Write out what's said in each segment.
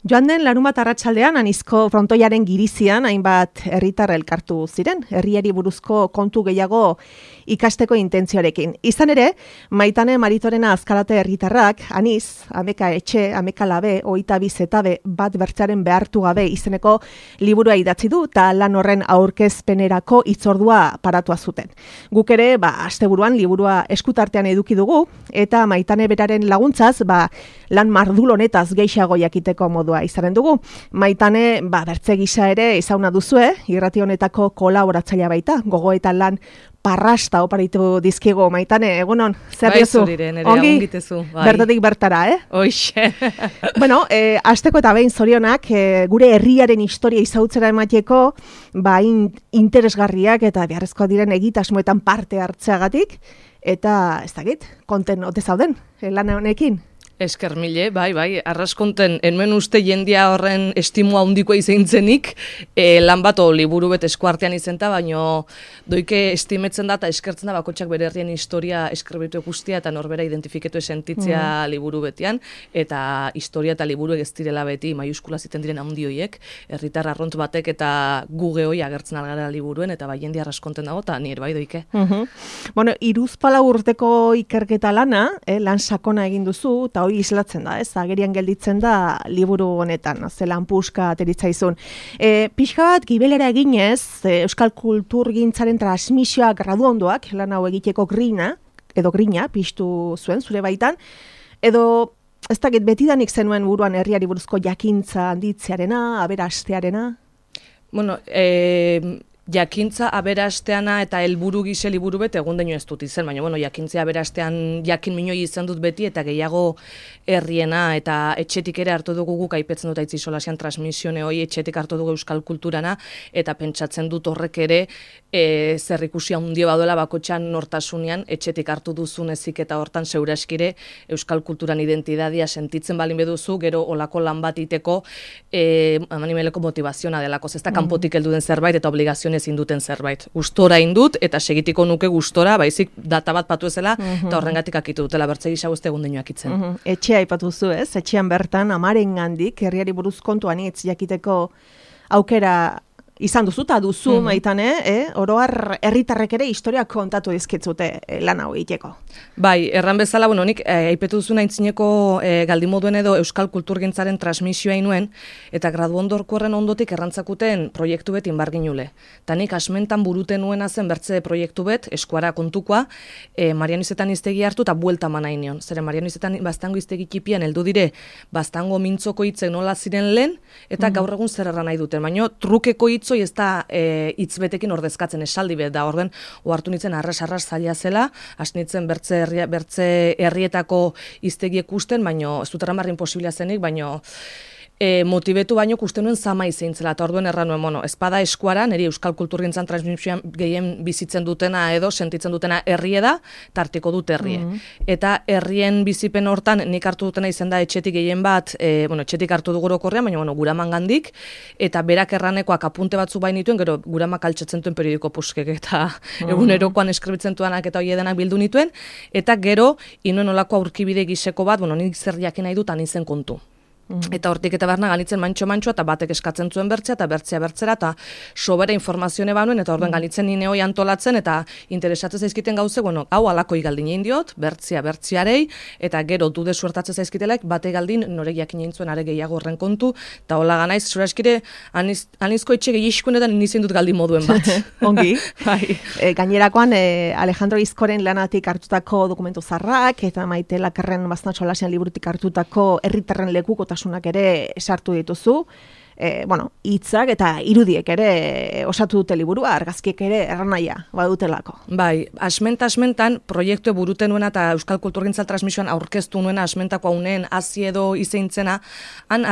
Joan den larunbat arratsaldean Anizko frontoiaren girizian hainbat herritar elkartu ziren, herriari buruzko kontu gehiago ikasteko intentzioarekin. Izan ere, Maitane Maritorena Azkarate herritarrak Aniz, Ameka etxe, Ameka labe, 22 zetabe bat bertzearen behartu gabe izeneko liburua idatzi du eta lan horren aurkezpenerako hitzordua paratua zuten. Guk ere, asteburuan liburua eskutartean eduki dugu eta Maitane beraren laguntzaz, lan mardul honetaz gehiago jakiteko modua izanen dugu. Maitane, bertze gisa ere izauna duzue, irrati honetako kolaboratzailea baita, gogo eta lan parrasta oparitu dizkigu. Maitane, egunon, zer diozu? Ongi, bertatik bertara, Hoixe. Bueno, hasteko eta behin zorionak, gure herriaren historia izautzera emateko, interesgarriak eta beharrezkoa diren egitasmoetan parte hartzeagatik, eta ez dakit, konten ote zauden, lan honekin? Esker mile, bai, arraskonten, enmen uste jendia horren estimua handikoa izentzenik, lan bat liburu bet eskuartean izenta, baino doike estimetzen da eta eskertzen da bakotxak bere herrien historia eskribitu guztia eta norbera identifiketu esentitzea liburu betian, eta historia eta liburu ez direla beti maiuskula ziten diren handioiek, herritar arront batek eta guge hoi agertzen algara liburuen, eta bai jendia arraskonten dago, eta nire bai doike. Bueno, hiruzpalau urteko ikerketa lana, lan sakona egin duzu, eta hori islatzen da, agerian gelditzen da liburu honetan, zelan puska ateritzaizun. Pixka bat, gibelera eginez, euskal kulturgintzaren transmisioa graduondoak, lan hau egiteko grina piztu zuen, zure baitan, edo, ez dakit, betidanik zenuen buruan herriari buruzko jakintza handitzearena, aberastearena? Bueno, jakintza aberasteana eta helburu gise liburu bet egun daino ez dut izen, baina jakintzea aberastean jakin minoi izan dut beti eta gehiago herriena eta etxetik ere hartu dugu guk aipetzen dut aitzi solasian transmisione hoi etxetik hartu dugu euskal kulturana eta pentsatzen dut horrek ere zerrikusi handia baduela bakotxan nortasunean etxetik hartu duzun ezik eta hortan zeuraskire euskal kulturan identidadia sentitzen balin beduzu, gero olako lan bat iteko animeleko motivaziona delako, ez da kanpotik heldu den zerbait eta obligazioen ezin duten zerbait. Gustora indut eta segitiko nuke gustora, baizik data bat patu ezela eta horrengatik akitu dutela bertze gisa guzti egun deinoak itzen. Etxea aipatu zu, ez? Etxean bertan amarengandik herriari buruz kontuan hitz jakiteko aukera izan duzu eta duzu Maitane, oroar herritarrek ere historiak kontatu dizkitzute lan hau egiteko. Bai, erran bezala, nik aipetu duzu naintzineko galdimoduen edo euskal kulturgintzaren transmisioa inuen, eta graduondorko horren ondotik errantzakuten proiektu bet inbarginule. Ta nik asmentan buruten nuena zen bertze proiektu bet, eskuara kontukoa, Marianizetan iztegi hartu eta buelta manain nion. Zeren Marianizetan bastango iztegi kipian heldu dire, bastango mintzoko hitzek nola ziren lehen, eta gaur egun zer erran nahi duten. Baina trukeko hitzoi ez da hitzbetekin ordezkatzen esaldi bet da, orden ohartu nintzen arras zaila zela, asnitzen bertze herrietako hiztegiek ikusten, baino ez dut erramarrin posibila zenik, baino motibetu baino kusten nuen zama izeintzela, eta orduen erran nuen, espada eskuara, niri euskal kulturgintzan transmisioan gehien bizitzen dutena edo sentitzen dutena herrie da, tartiko dut herrie. Eta herrien bizipen hortan nik hartu dutena izan da etxetik gehien bat, etxetik hartu dugu orokorrean, baina guraman gandik, eta berak erranekoak apunte batzu bainituen, gero guramak altxetzen duen periodiko puskek, eta egunerokoan eskribitzen duanak eta hoi edenak bildu nituen, eta gero, inuen olako aurkibide giseko bat, nik zer jakin nahi dut anizen kontu. Eta hortik eta barna ganitzen mantxo eta batek eskatzen zuen bertzea eta bertzea eta sobera informazione banuen eta orden ganitzen nine hoi antolatzen eta interesatzen zaizkiten gauze, hau alako igaldin egin diot, bertzearei eta gero dude suertatzen zaizkitelek bate galdin norek jakin egin zuen are gehiago horren kontu eta hola ganaiz, zura eskire anizko etxe gehiagoetan nizien dut galdin moduen bat. Ongi. Gainerakoan Alejandro Izkoren lanatik hartutako dokumentu zarrak eta Maite Lakerren Baznatxo Lasian liburutik hartutako herritarren lekuko ere sartu dituzu, hitzak eta irudiek ere osatu dute liburua, argazkiek ere erranaia badutelako. Bai, asmentan proiektu buruten nuena eta euskal kulturgintzal transmisioan aurkeztu nuena asmentako hauneen hazi edo izeintzena, han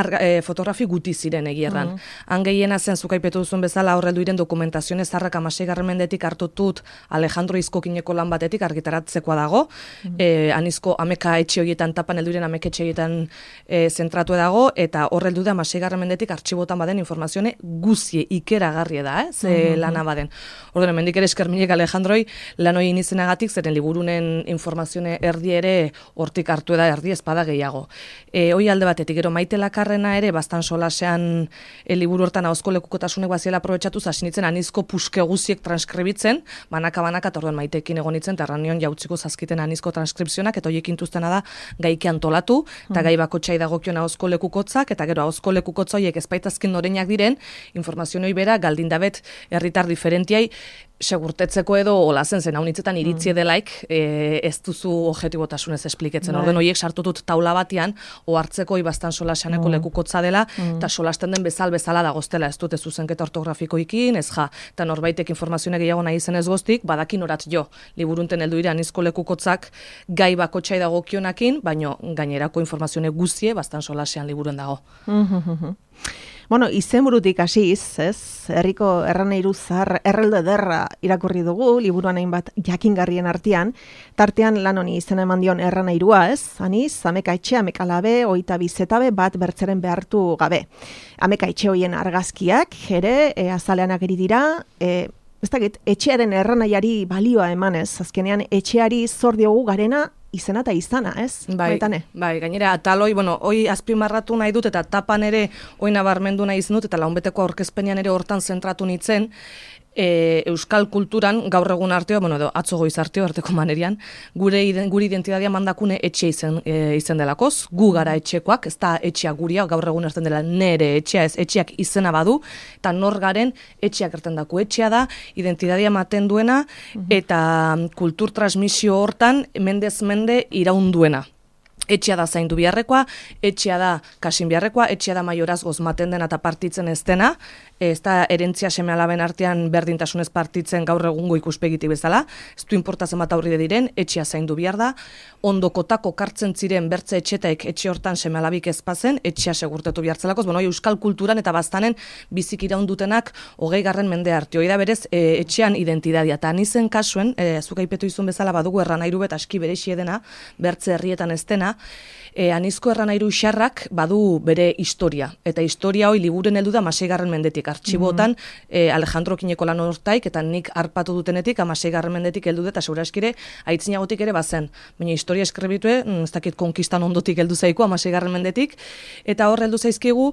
fotografi guti ziren egierran. Han gehiena zen zukaipetu duzun bezala horreldu iren dokumentazioen zarrak 16. mendetik hartutut Alejandro Izkokineko lan batetik argitaratzekoa dago, anizko ameka etxe horietan tapan helduren ameka etxe horietan zentratu dago, eta horreldu da 16. mendetik artxibo artxibotan baden informazione guzie ikeragarria da, ze lana baden. Orduan, hemendik ere eskerminek Alejandroi, lan hori inizenagatik, zeren liburunen informazione erdi ere hortik hartu da erdi espada gehiago. Hoi alde batetik, gero Maite Lakarrena ere, bastan solasean liburu hortan ahozko lekukotasunek baziela aprobetxatu, zasinitzen anizko puske guziek transkribitzen, banaka-banaka, eta orduan Maitekin egonitzen, eta ranion jautziko zazkiten anizko transkripzionak, eta horiek intuztena da gaiki antolatu, eta gai bakotxai dagokion ahozko lekukotzak, eta gero ahozko lekukotza horiek espaitazkin noreinak diren, informazioi bera, galdindabet herritar diferentiai, segurtetzeko edo olazen zen, haunitzetan iritzi edelaik, ez duzu objetibotasunez espliketzen. Orden horiek sartutut taula batean, ohartzeko ibastan solasaneko lekukotza dela, eta solasten den bezala dagoztela, ez dute zuzenketa ortografikoikin, ez ja, eta norbaitek informazioa gehiago nahi zen ez goztik, badakin orat jo, liburunten heldu dira anizko lekukotzak gai bakotxai dagokionakin, baino gainerako informazioa guzie bastan solasean liburuen dago. Bueno, izenburutik hasiz, ez? Herriko erranairu zahar errelde derra irakurri dugu, liburuan hainbat jakingarrien artean, tartean lan honi izena eman dion erranairua, ez? Aniz, ameka etxe, ameka labe, oita bizetabe, bat bertzeren behartu gabe. Ameka etxe hoien argazkiak, ere, azalean ageri dira, ez dakit, etxearen erranaiari balioa emanez, azkenean etxeari zor diogu garena, izena eta izana, ez? Bai, gainera, ataloi, hoi azpimarratu nahi dut, eta tapan ere, hoi nabarmendu nahi izan dut, eta launbeteko aurkezpenean ere hortan zentratu nintzen, euskal kulturan gaur egun arteo, atzo goiz arteo, arteko manerian, gure identitatea mandakune etxe izen delakoz, gu gara etxekoak, ez da etxea guria, gaur egun erten dela nere etxea, ez etxeak izena badu, eta nor garen etxeak erten dako etxea da, identitatea maten duena, eta kultur transmisio hortan, mendez mende iraunduena. Etxea da zaindu biharrekoa, etxea da kasin biharrekoa, etxea da maioraz gozmaten dena eta partitzen ez dena, ez da erentzia seme-alaben artean berdintasunez partitzen gaur egungo ikuspegitik bezala, ez du inportazen bat aurride diren, etxea zaindu bihar da, ondokotako kartzen ziren bertze etxetaek etxe hortan seme-alabik ezpazen, etxea segurtetu bihartzelakoz, euskal kulturan eta baztanen bizik iraundutenak 20. mende arte. Hoi da berez, etxean identidadia, eta nizen kasuen, zuk aipetu izun bezala badugu erranairu bet aski berexie dena, bertze herrietan ez dena, anizko erranairu xarrak badu bere historia. Eta historia hoi liburen heldu da 6. mendetik. Artxibotan Alejandro Kineko lan hortaik eta nik arpatu dutenetik 6. mendetik heldu da, eta seguraskire aitzinagotik ere bazen. Baina historia eskribitue, ez dakit konkistan ondotik heldu zaiko 6. mendetik. Eta hor heldu zaizkigu,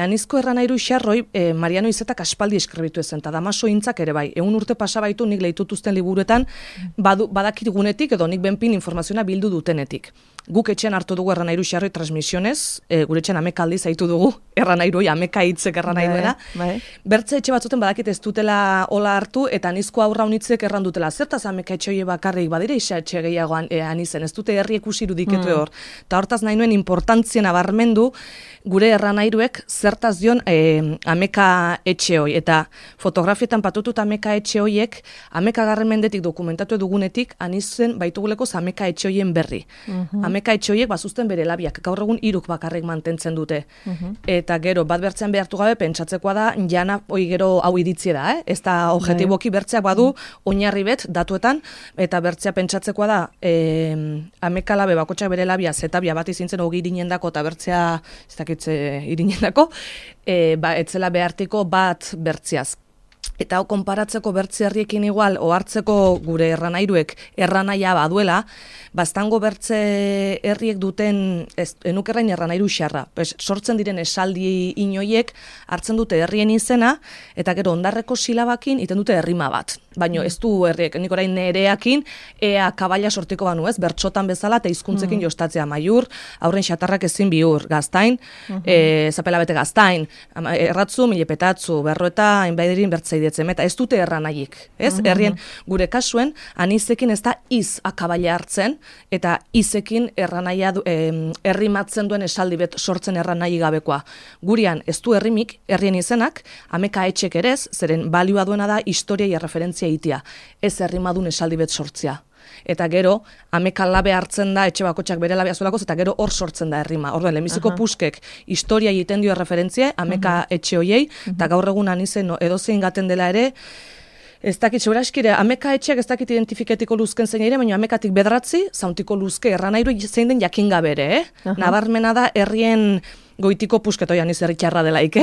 anizko erranairu xarroi Mariano Izetak aspaldi eskribitu ezen, eta Damaso Intzak ere bai. 100 urte pasabaitu nik lehitutuzten liburuetan badakit gunetik edo nik benpin informazioa bildu dutenetik. Guk etxean hartu dugu erranairu xarroi transmisionez, gure etxean ameka aldiz haitu dugu erranairoi, ameka hitzek erranairuena. Bertze etxe batzuten badakit ez dutela hola hartu, eta anizko aurra unitzek erran dutela. Zertaz ameka etxe hoi bakarrik badire isa etxe gehiago anizen, ez dute herri ikusi irudiketu hor. Eta hortaz nahi nuen importantzien abarmendu gure erranairuek zertaz dion ameka etxe hoi. Eta fotografietan patutut ameka etxe hoiek, 11. mendetik dokumentatu dugunetik, anizen baituguleko ameka etxe hoien berri. Ameka etxe horiek bazuzten bere labiak, gaur egun 3 bakarrik mantentzen dute. Eta gero, bat bertzean behartu gabe, pentsatzekoa da, jana hoi gero hau iritzie da, ez da objetiboki bertzeak badu, oinarri bet, datuetan, eta bertzea pentsatzekoa da, ameka labe bakotxak bere labia, zetabia bat izintzen hogi irinendako, eta bertzea, ez dakitze irinendako, etzela behartiko bat bertzeaz. Eta hau konparatzeko bertze herriekin igual, ohartzeko gure erranairuek erranaia baduela, baztango bertze herriek duten, enukerrain erranairu xarra. Sortzen diren esaldi inoiek hartzen dute herrien izena, eta gero ondarreko silabakin iten dute errima bat. Baina ez du herriek, nik orain nereakin, ea kabaila sortiko banu ez, bertxotan bezala eta hizkuntzekin jostatzea maiur, aurren xatarrak ezin bihur, gaztain, zapela bete gaztain, erratzu, milepetatzu, berroeta, hainbaiderin bertzei eta ez dute erranaiik, ez? Herrien gure kasuen, anizekin ez da iz akabaila hartzen, eta izekin erranaia errimatzen duen esaldi bet sortzen erranai gabekoa. Gurian ez du errimik, herrien izenak, ameka etxek erez, zeren balioa duena da historia referentzia itia, ez errimadun esaldi bet sortzea. Eta gero, ameka labe hartzen da, etxe bakotxak bere labea zuelakoz, eta gero hor sortzen da errima. Orduan, lehenbiziko puskek historia egiten dio referentzia, ameka etxe hoiei, eta gaur egun anizen edozein gaten dela ere, ez dakit, seguraskire, ameka etxeak ez dakit identifiketiko luzken zein ere, baina amekatik bedratzi, zauntiko luzke erranairu zein den jakinga bere, Nabarmena da herrien goitiko pusketoian herri txarra delaik,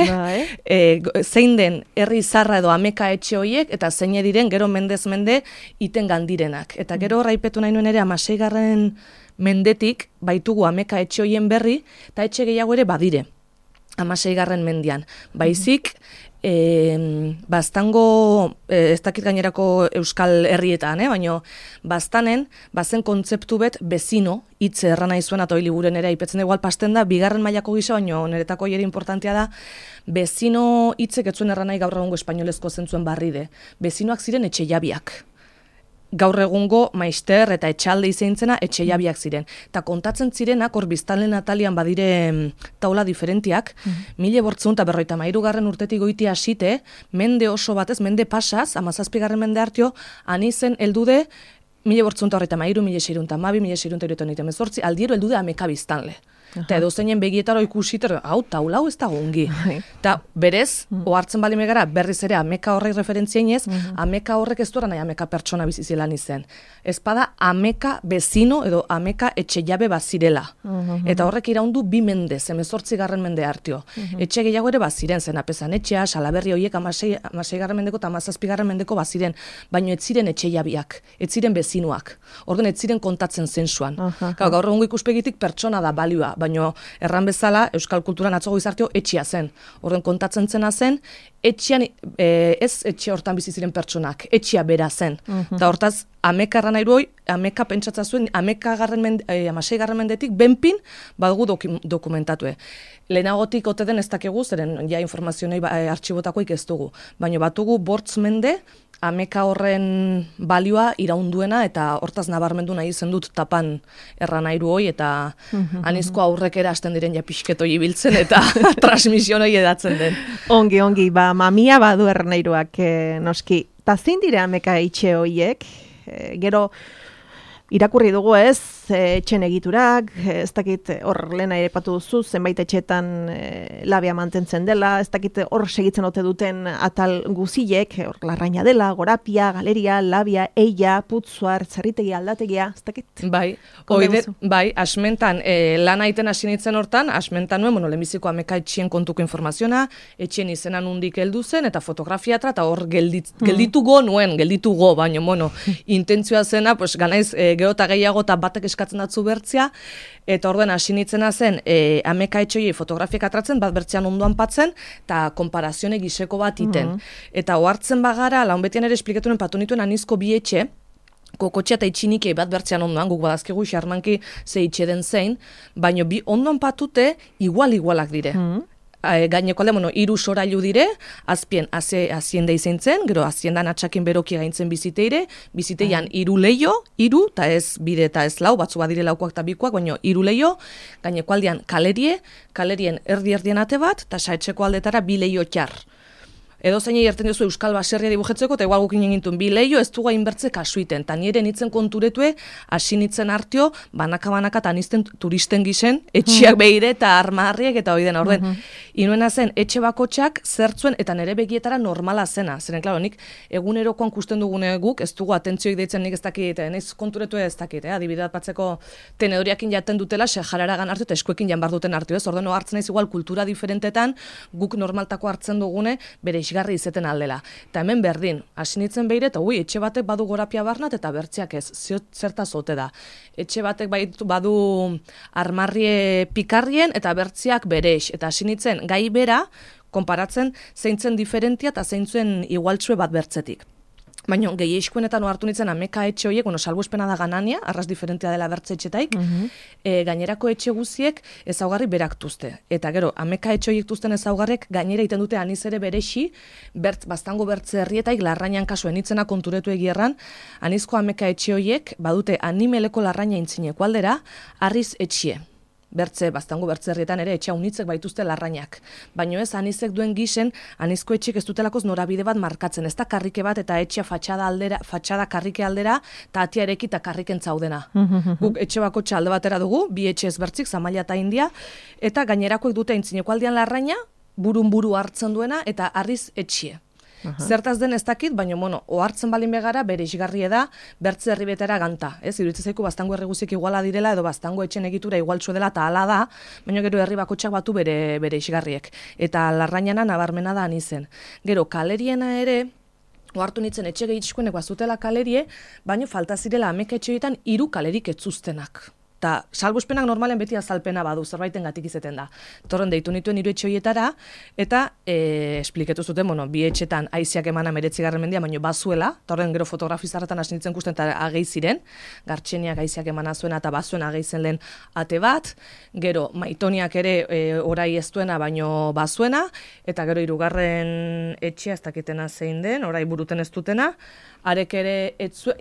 zein den herri zarra edo ameka etxe hoiek, eta zein diren gero mendez mende iten gandirenak. Eta gero raipetu nahi nuen ere 16. mendetik baitugu ameka etxe hoien berri, eta etxe gehiago ere badire. 16. mendian. Baizik, baztango, ez dakit gainerako euskal herrietan, baina baztanen, bazen kontzeptu bet bezino, hitze errana izuen atoi liburen ere, ipetzen igual pasten da, bigarren mailako gisa, baina niretako ere importantea da, bezino hitzek etzuen erranai gaur egungo espainolezko zentzuen barride. Bezinoak ziren etxe jabiak. Gaur egungo maister eta etxalde izeintzena etxe jabiak ziren. Eta kontatzen zirenak, hor biztanleen atalian badire taula diferentiak, 1853 urtetik goiti hasite, mende oso batez, mende pasaz, 17. mende hartio, anizen heldude 1853, 1612, 1618, aldiero heldude ameka biztanle. Eta edo zeinen begietaro ikusiter, hau, taula hau ez da gongi. Eta berez, ohartzen bali megara, berriz ere ameka horrek referentziainez, ameka horrek ez duera nahi ameka pertsona bizizilan izen. Ez bada ameka bezino edo ameka etxe jabe bazirela. Eta horrek iraundu 2 mende, 18. mende hartio. Etxe gehiago ere baziren, zen apezan etxea, Salaberri horiek 16. mendeko eta 17. mendeko baziren, baino ez ziren etxe jabiak, ez ziren bezinoak. Orduan ez ziren kontatzen zensuan. Gaur egungo ikuspegitik pertsona da balioa, baino erran bezala euskal kulturan atzogo izartio etxia zen. Horren kontatzen zena zen, etxean, ez etxe hortan bizi ziren pertsonak, etxia bera zen. Eta hortaz, ameka erran nahi duoi, ameka pentsatza zuen, 16. mendetik benpin badugu dokumentatue. Lehenagotik ote den ez dakegu, zeren ja informazionei artxibotakoik ez dugu. Baina batugu bortz mende, ameka horren balioa iraunduena eta hortaz nabarmendu nahi zen dut tapan erranairu hoi eta anizko aurrek erasten diren ja pixketoi ibiltzen eta transmisionoi edatzen den. Ongi, mamia badu erranairuak noski. Ta zein dira ameka itxe hoiek? Gero irakurri dugu ez, etxen egiturak, ez dakit hor lehena ere patu duzu, zenbait etxetan labia mantentzen dela, ez dakit hor segitzen ote duten atal guzilek, hor larraina dela, gorapia, galeria, labia, eia, putzuar, txarritegia, aldategia, ez dakit? Bai, asmentan, lan aiten hasi nintzen hortan, asmentan nuen, lehenbiziko ameka etxien kontuko informaziona, etxien izenan hundik heldu zen, eta fotografiatra, eta hor gelditugo, baina, intentzioa zena, pues, ganaiz, gero eta gehiago eta batek eskatzen datzu bertzia, eta orduen hasi nitzena zen ameka etxoiei fotografiak atratzen, bat bertzean ondoan patzen, eta konparazione giseko bat iten. Eta ohartzen bagara, laun betian ere esplikatunen patu nituen anizko bi etxe, kokotxea eta itxinikei bat bertzean ondoan, guk badazkegu xarmanki ze itxe den zein, baino bi ondoan patute igualak dire. Gaineko alde, 3 sorailu dire, azpien azienda izan zen, gero aziendan atxakin beroki gaintzen biziteire, biziteian 3 leio, 3, eta ez bide eta ez lau, batzu badire laukoak eta bikoak, baina 3 leio, gaineko aldean kalerien erdi-erdien ate bat, eta saetxeko aldetara 2 leio txar. Edo zein erten duzu euskal baserria dibujetzeko, eta igual gukin egintun 2 leio ez dugu hainbertze kasuiten, eta nire nitzen konturetue, hasi nitzen hartio, banaka eta nizten turisten gisen, etxiak behire eta armarriek eta hori dena. Orden, inuena zen, etxe bakotxak zertzuen eta nire begietara normala zena. Zeren, klaro, nik egunerokoan kusten dugune guk, ez dugu atentzioik deitzen nik ez dakit, naiz konturetue ez dakit, adibidat batzeko tenedoriakin jaten dutela, jararagan hartu eta eskuekin jan bar duten hartu, ez? Orden, hartzen naiz igual kultura diferentetan, guk normaltako hartzen dugune, bere isgarri izeten aldela. Eta hemen berdin, hasi nitzen behire, eta etxe batek badu gorapia barnat, eta bertziak ez, zertaz ote da. Etxe batek badu armarrie pikarrien, eta bertziak bereix. Eta hasi nitzen gai bera, konparatzen zeintzen diferentia eta zeintzen igualtzue bat bertzetik. Baina gehieskuenetan ohartu nintzen ameka etxe horiek, salbuespena da ganania, arraz diferentea dela bertze etxetaik, gainerako etxe guziek ezaugarri beraktuzte. Eta gero, ameka etxe horiek duzten ezaugarrek gainera iten dute aniz ere berexi, baztango bertze herrietaik larrainan kasuen itzena konturetu egierran, anizko ameka etxe horiek badute animeleko larraina intzineko aldera, arriz etxie. Baztango bertze herrietan ere etxea unitzek baituzte larrainak. Baina ez, anizek duen gisen, anizko etxek ez dutelakoz norabide bat markatzen. Ez da karrike bat eta etxea fatxada karrike aldera, eta atia ereki eta karriken zaudena. Guk etxe bako txalde batera dugu, 2 etxe ezbertzik, Zamaila eta India, eta gainerakoek dute aintzineko aldean larraina, burun buru hartzen duena, eta arriz etxie. Zertaz den ez dakit, baina, ohartzen balin begara, bere isgarrie da, bertze herribetera ganta. Ez, iruditzen zaiku, bastango herri guziek iguala direla, edo bastango etxen egitura igualtxo dela, eta hala da, baina gero herri bakotxak batu bere isgarriek. Eta Larrañana nabarmena da anizen. Gero, kaleriena ere, ohartu nintzen etxe gehitxuenek bazutela kalerie, baina falta zirela ameka etxeetan 3 kalerik etzuztenak. Eta salbuspenak normalen beti azalpena badu, zerbaiten gatik izeten da. Torren deitu nituen 3 etxe horietara, eta espliketu zuten, bi etxetan aiziak emana 19. mendia, baina bazuela, torren gero fotografizarretan hasi nintzen kusten eta agei ziren, Gartxeniak aiziak emana zuena eta bazuen agei zen lehen ate bat, gero Maitoniak ere orai ez duena, baino bazuena, eta gero 3. etxea ez dakitena zein den, orai buruten ez dutena, arek ere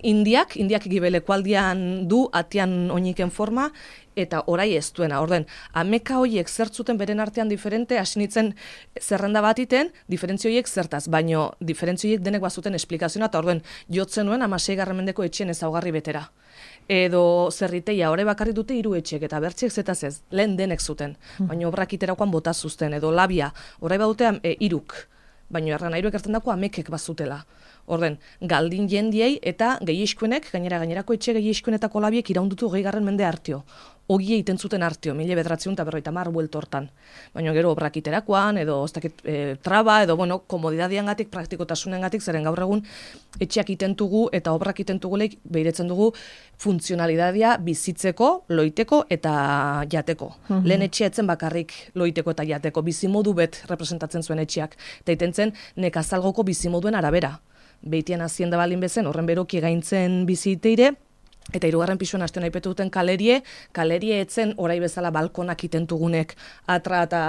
indiak gibelekualdian du, atian oiniken forma, eta orai ez duena. Orden, ameka hoiek zertzuten beren artean diferente, hasi nintzen zerrenda bat iten, diferentzio hoiek zertaz, baino diferentzio hoiek denek bazuten esplikazioa, eta orden, jotzen nuen 16. mendeko etxen ezaugarri betera. Edo zerriteia, ore bakarrik dute 3 etxek, eta bertxiek zetaz ez, lehen denek zuten, baino obrak iterakoan bota zuzten, edo labia, orai badutean 3, baino erran 3 erten dako amekek bazutela. Orden, galdin jendiei eta gehieskuenek, gainerako etxe gehieskuenetako labiek iraundutu 20. mende artio. Ogie iten zuten artio, 1950 buelto hortan. Baina gero obrak iterakoan, edo traba, edo komodidadiangatik, praktikotasunengatik, zeren gaur egun etxeak itentugu eta obrak itentuguleik behiretzen dugu funtzionalidadia bizitzeko, loiteko eta jateko. Lehen etxea etzen bakarrik loiteko eta jateko, bizimodu bet representatzen zuen etxeak. Eta itentzen nekazalgoko bizimoduen arabera. Beitian hazienda balin bezen, horren beroki gaintzen biziteire, eta 3. pisuan hasten aipetu duten kalerie etzen orai bezala balkonak itentugunek atra eta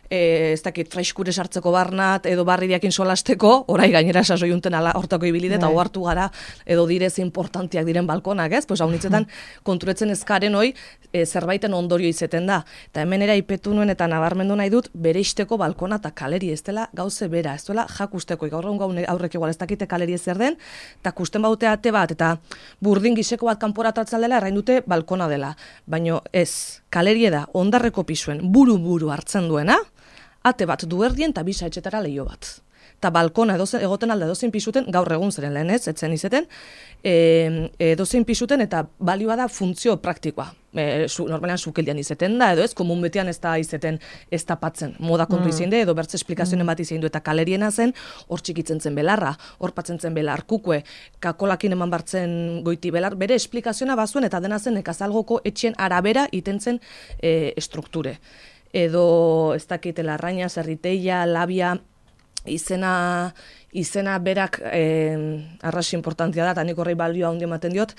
ez dakit fraiskure sartzeko barnat edo barridiakin solasteko, orai gainera sasoiunten hortako ibilide eta ohartu gara edo direz importantiak diren balkonak, ez? Pues haunitzetan konturetzen ezkaren hoi zerbaiten ondorio izeten da. Eta hemen era ipetu nuen eta nabarmendu nahi dut bereisteko balkona eta kaleri ez dela gauze bera, ez dela jakusteko. Gaur egun aurrek igual ez dakite kaleri zer den, eta kusten baute ate bat eta burdin giseko bat kanpora atratzen dela errain dute balkona dela. Baino ez, kalerie da ondarreko pisuen buru hartzen duena, ate bat du erdien eta bisa etxetara leio bat. Eta balkona egoten alda edozein pisuten, gaur egun zeren lehen ez, etzen izeten, edozein pisuten eta balioa da funtzio praktikoa. Normalean sukeldian izeten da, edo ez, komun betean ez da izeten ez tapatzen. Moda kontu izin de, edo bertze esplikazioen bat izin du, eta kaleriena zen, hor txikitzen zen belarra, hor patzen zen belar kukue, kakolakin eman bartzen goiti belar, bere esplikazioa bazuen, eta dena zen nekazalgoko etxen arabera itentzen strukture. Edo ez dakite Larraña, zerriteia, labia, izena berak arrasi importantia da, eta nik horrei balioa handi ematen diot,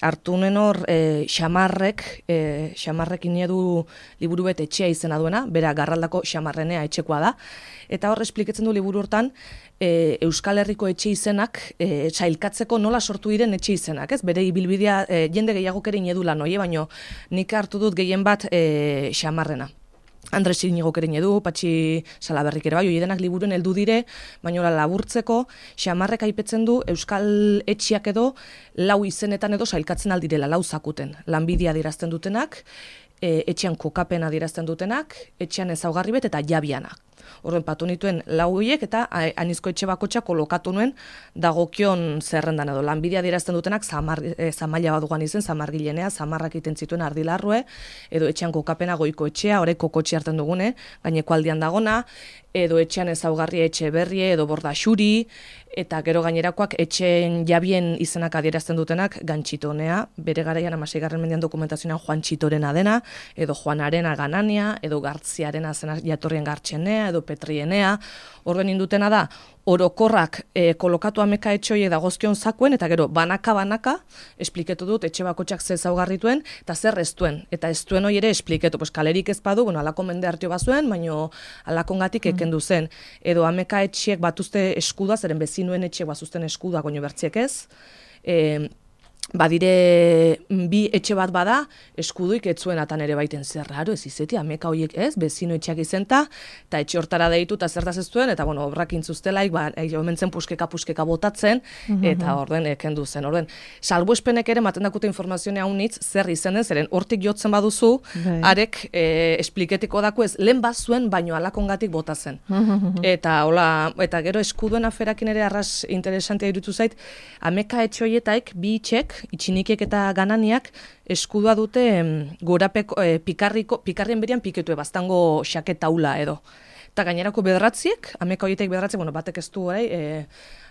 hartu nuen hor xamarrek inedu liburu bet etxea izena duena, bera Garraldako xamarrenea etxekoa da, eta hor espliketzen du liburu hortan, Euskal Herriko etxe izenak sailkatzeko nola sortu diren etxe izenak, ez? Bere ibilbidea jende gehiagok ere inedu lan hori, baino nik hartu dut gehien bat xamarrena. Andres Iñigok ere inedu, Patxi Salaberrik ere bai, oiedenak liburuen heldu dire, baina laburtzeko xamarrek aipetzen du Euskal etxiak edo 4 izenetan edo sailkatzen aldirela, 4 zakuten. Lanbidea adierazten dutenak, etxean kokapena adierazten dutenak, etxean ezaugarri bet eta jabianak. Orduan patu nituen 4 horiek eta anizko etxe bakotxa kolokatu nuen dagokion zerrendan edo. Lanbidea adierazten dutenak zamaila badugan izen, zamargilenea, zamarrak iten zituen ardilarrue, edo etxean kokapena goiko etxea, horrek kokotxe hartzen dugune, gaineko aldian dagona, edo etxean ezaugarri etxe berrie, edo borda xuri, eta gero gainerakoak etxeen jabien izenak adierazten dutenak Gantxitonea, bere garaian 16. mendean dokumentazioan Juan Txitorena dena, edo Juanarena Ganania, edo Gartziarena zena jatorrien Gartxenea, edo Petrienea, horren indutena da, orokorrak kolokatu ameka etxoie dagozkion zakuen, eta gero banaka, espliketu dut etxe bakotxak ze ezaugarrituen, eta zer ez duen. Eta ez duen hori ere espliketu, kalerik ez badu, alako mende hartio bazuen, baino alakongatik ekendu zen. Edo ameka etxiek batuzte eskuda, zeren bezinuen etxiek bazuzten eskuda, goño bertziek ez. badire bi etxe bat bada, eskuduik etzuen atan ere baiten zer raro, ez izeti, ameka horiek ez, bezino etxeak izenta, eta etxe hortara deitu, eta zertaz ez duen, eta bueno, obrak intzuztelaik, omentzen puskeka botatzen, eta orden kendu zen. Orden, salbuespenek ere, maten dakute informazioa haunitz, zer izen den, zeren hortik jotzen baduzu, arek espliketiko dako ez, lehen bazuen, baino alakongatik bota zen. Eta gero eskuduen aferakin ere arras interesantea irutu zait, ameka etxe horietaik, bi itxek, itxinikiek eta gananiak eskudua dute gorapeko pikarrien berian piketue baztango xaketaula edo. Eta gainerako bederatziek, ameka horietek bederatziek, batek ez du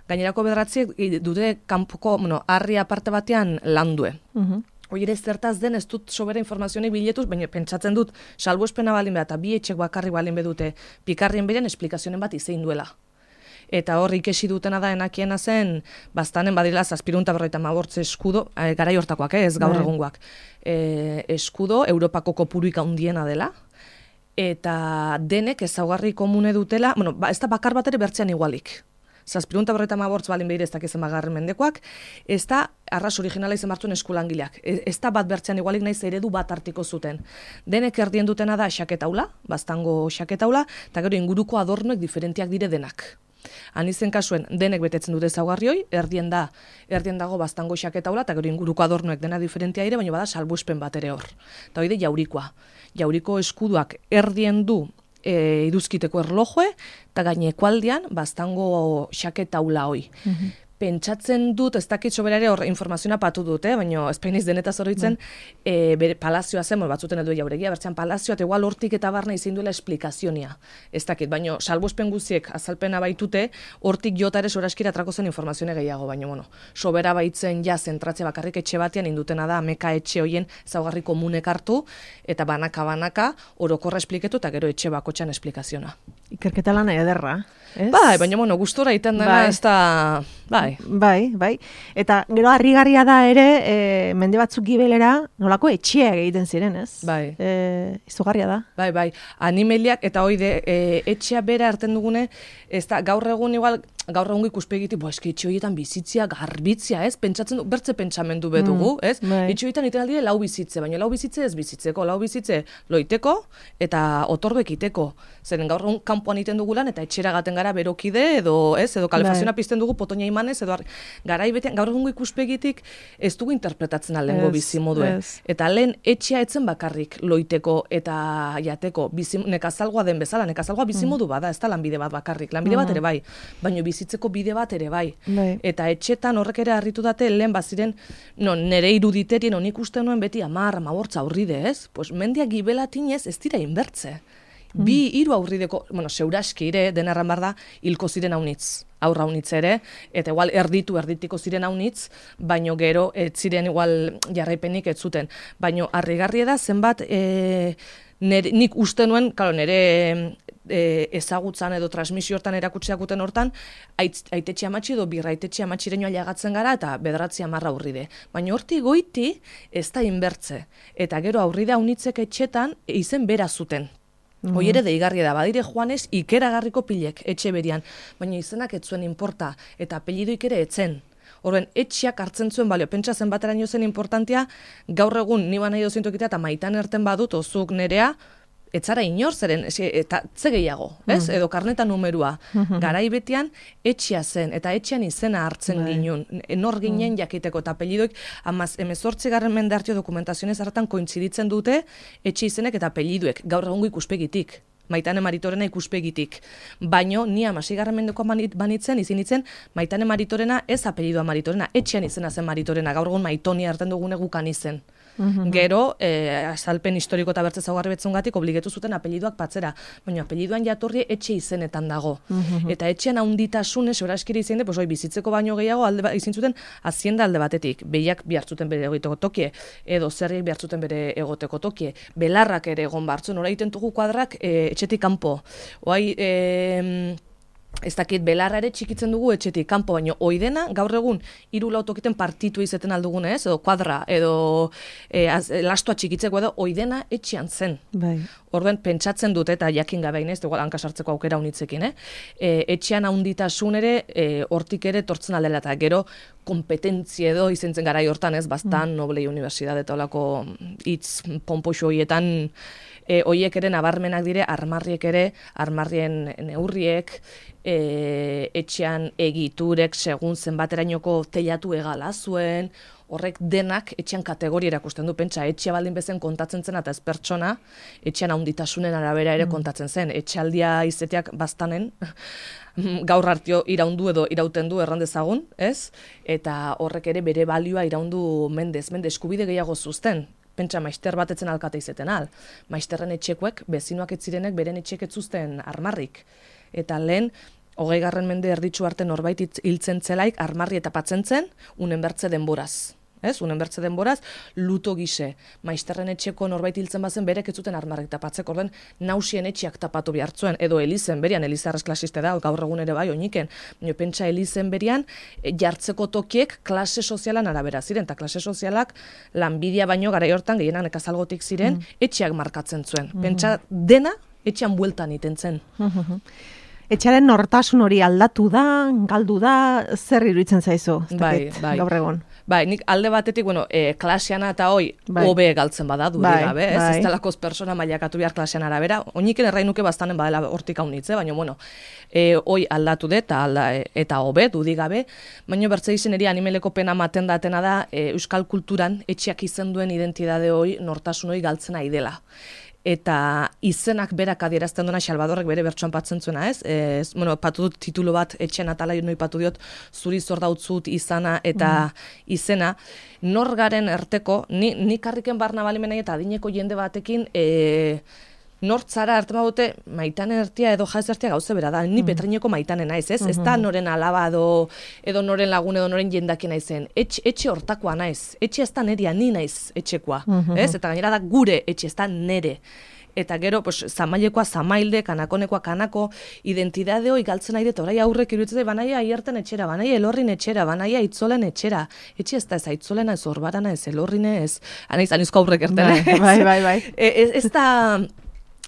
gainerako bederatziek dute kanpoko, harri aparte batean landue. Hoi ere zertaz den ez dut sobera informazionik biletuz, baina pentsatzen dut salbuespena balin behar, eta bi etxek bakarrik balin bedute pikarrien berian esplikazionen bat izein duela. Eta hor ikesi dutena da enakiena zen, bastanen badila 750 eskudo, garai hortakoak, ez gaur egungoak. Eskudo, Europako kopuruik handiena dela, eta denek ezaugarri komune dutela, ez da bakar bat ere bertzean igualik. 750 balin behir ez dakizen bagarren mendekoak, ez da arras originala izen martuen eskulangileak. Ez da bat bertzean igualik naiz eredu bat artiko zuten. Denek erdien dutena da xaketaula, bastango xaketaula, eta gero inguruko adornoek diferentiak dire denak. Anizen kasuen, denek betetzen dute ezaugarrioi, erdien dago baztango xaketaula, eta gero inguruko adornoek dena diferentia ere, baina bada salbuespen bat ere hor. Eta hori de jaurikoa. Jauriko eskuduak erdien du iduzkiteko erlojoe, eta gainekualdian baztango xaketaula hoi. Pentsatzen dut, ez dakit soberare hor informazioa patu dut, baina espainiz denetaz horitzen, bere palazioa zen, batzuten edo jauregia, bertzean palazioa, eta igual hortik eta barna izin duela esplikazionia. Ez dakit, baina salbuespen guziek azalpena baitute, hortik jota ere soraskira atrako zen informazioa gehiago, baina, sobera baitzen ja zentratzea bakarrik etxe batean indutena da, ameka etxe hoien zaugarri komunek hartu, eta banaka, orokorra espliketu, eta gero etxe bakotxan esplikazioa. Ikerketa lan ederra, ez? Bai, baina, gustora iten dena, ez da... Bai. Eta gero harrigarria da ere, mende batzuk gibelera, nolako etxeak egiten ziren, ez? Bai. Izugarria da. Bai. Animeliak, eta hoide, etxea bera hartzen dugune, ez da, gaur egun ikuspegitik, eski etxe horietan bizitzia, garbitzia, ez? Pentsatzen du, bertze pentsamendu bedugu, ez? Etxe horietan iten aldire lau bizitze, baina lau bizitze ez bizitzeko, lau bizitze loiteko eta otorduek iteko. Zeren gaur egun kanpoan iten dugulan eta etxera gaten gara berokide edo, ez? Edo kalefazioa pizten dugu potoina imanez, edo garai betean, gaur egun ikuspegitik ez dugu interpretatzen alengo bizi modue. Eta lehen etxea etzen bakarrik loiteko eta jateko, nekazalgoa den bezala, nekazalgoa bizimodu bada, ez da lanbide bat bakarrik, lanbide bat ere bai, baina bizitzeko bide bat ere bai. Eta etxetan horrek ere harritu date, lehen baziren, nere iruditerien honik uste nuen beti 10-15 aurride, ez? Pues mendiak gibelatinez ez dira inbertze. 2-3 aurrideko, seuraski ere, denarran bar da, hilko ziren haunitz. Aurra haunitz ere, eta igual erditiko ziren haunitz, baino gero, ez ziren igual jarraipenik ez zuten. Baino, harrigarria da, zenbat, nik uste nuen, nire ezagutzan edo transmisio hortan erakutseakuten hortan, aitetxe amatxi edo birraitetxe amatxireñoa jagatzen gara eta 9-10 aurride. Baina horti goiti ez da inbertze. Eta gero aurride haunitzek etxetan izen bera zuten. Hoi ere deigarria da, badire joanez ikeragarriko pilek etxe berian, baina izenak ez zuen inporta eta apellidoik ere etzen. Horren, etxeak hartzen zuen balio, pentsa zenbateraino zen importantia, gaur egun niba nahi dozintokitea eta maitan erten badut, ozuk nerea, etzara inor zeren, eta ze gehiago, ez? Edo karneta numerua. Garai betean, etxea zen, eta etxean izena hartzen ginen, nor ginen jakiteko, eta apellidoik, 18. mende hartio dokumentazionez hartan kointziditzen dute, etxe izenek eta apelliduek, gaur egungo ikuspegitik. Maitane Maritorena ikuspegitik. Baino, ni 16. mendeko banitzen, izinitzen, Maitane Maritorena ez apellidua Maritorena, etxean izena zen Maritorena, gaur egun Maitoni hartzen dugune gukan izen. Gero, azalpen historiko eta bertze zaugarri betzungatik obligetu zuten apelliduak patzera, baina apelliduan jatorri etxe izenetan dago. Eta etxean haunditasune, soraskiri izin de, bizitzeko baino gehiago izin zuten hazienda alde batetik. Behiak bihartzuten bere egoteko tokie, edo zerriek bihartzuten bere egoteko tokie. Belarrak ere egon bartzun, ora egiten dugu kuadrak etxetik kanpo. Oai, ez dakit belarra ere txikitzen dugu etxetik kanpo, baino oidena gaur egun 3-4 tokiten partitu izeten aldugun edo kuadra, edo lastua txikitzeko edo oidena etxean zen. Bai. Orduan pentsatzen dut eta jakin gabe inez, igual hankasartzeko aukera unitzekin, etxean haunditasun ere, hortik ere tortzen aldela eta gero kompetentzia edo izentzen garai hortan bastan Noblei Universidade eta olako hitz ponpoxo horietan, hoiek ere nabarmenak dire, armarrien neurriek, etxean egiturek, segun zenbaterainoko teilatu egala zuen, horrek denak etxean kategoria erakusten du, pentsa, etxea baldin bezen kontatzen zen, eta ez pertsona, etxean haunditasunen arabera ere kontatzen zen, etxaldia izeteak bastanen, gaur hartio iraundu edo irauten du errandezagun, ez? Eta horrek ere bere balioa iraundu mende eskubide gehiago zuzten, pentsa maister batetzen alkate izeten al. Maisterren etxekoek, bezinoak ez zirenek beren etxek ez zuzten armarrik. Eta lehen, 20. mende erditsu arte norbait hiltzen zelaik armarri eta patzen zen, unen bertze denboraz. Unen bertze denboraz, luto gise. Maisterren etxeko norbait hiltzen bazen berek ez zuten armarrik tapatzeko, orden nausien etxeak tapatu behartzuen, edo elizen berian, elizarrez klasiste da, gaur egun ere bai, oiniken, pentsa elizen berian, jartzeko tokiek klase sozialan arabera ziren, eta klase sozialak lanbidea baino garai hortan gehienak nekazalgotik ziren, etxeak markatzen zuen. Pentsa dena etxean bueltan iten zen. Etxaren nortasun hori aldatu da, galdu da, zer iruditzen zaizu? Bai. Gaur egon. Bai, nik alde batetik, klaseana eta hoi, hobe galtzen bada, duri gabe, ez delakoz persona mailakatu behar klasean arabera, oiniken errainuke bastanen badela hortik haunitze, baina, hoi aldatu dut, eta hobe, dudi gabe, baina bertze izen eri animeleko pena maten datena da, euskal kulturan etxeak izen duen identidade hoi, nortasun hoi galtzen ari dela. Eta izenak berak adierazten duena Salvadorrek bere bertsoan patzen zuena, ez? Patu dut titulu bat etxen atala noi patu diot, zuri zor dautzut izana eta izena. Nor garen erteko, ni karriken barna balimenai eta adineko jende batekin, nortzara arte badute maitanen ertia edo jaz ertia gauze bera da, ni Petraineko maitanen naiz, ez? Ez da noren alaba edo noren lagun edo noren jendaki naizen. Etxe hortakoa naiz, etxe ez da neria, ni naiz etxekoa, ez? Eta gainera da gure etxe, ez da nere. Eta gero, zamailekoa zamailde, kanakonekoa kanako, identidade hoi galtzen nahi dut, orai aurrek iruditzen banaia aierten etxera, banaia elorrin etxera, banaia itzolen etxera. Etxe ez da ez aitzolena, ez orbarana, ez elorrine, ez... Anizko aurrek ertene. Bai. Ez da...